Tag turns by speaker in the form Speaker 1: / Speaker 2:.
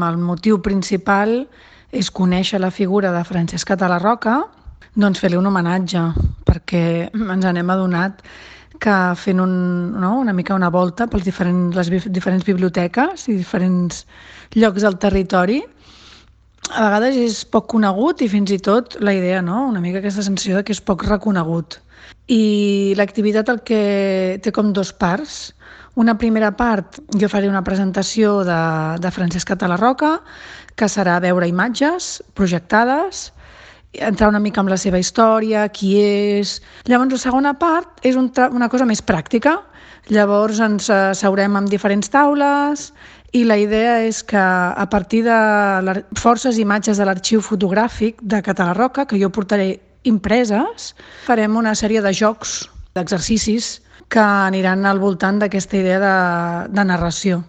Speaker 1: El motiu principal és conèixer la figura de Francesca Talarroca, doncs fer-li un homenatge, perquè ens n'hem adonat que fent una mica una volta per les diferents biblioteques i diferents llocs del territori, a vegades és poc conegut i fins i tot la idea, una mica aquesta sensació de que és poc reconegut. I l'activitat el que té com dues parts. Una primera part, jo faré una presentació de Francesca Talarroca, que serà veure imatges projectades, entrar una mica amb la seva història, qui és. Llavors, la segona part és una cosa més pràctica. Llavors ens seurem amb diferents taules i la idea és que a partir de forces imatges de l'arxiu fotogràfic de Talarroca, que jo portaré impreses, farem una sèrie de jocs, d'exercicis que aniran al voltant d'aquesta idea de narració.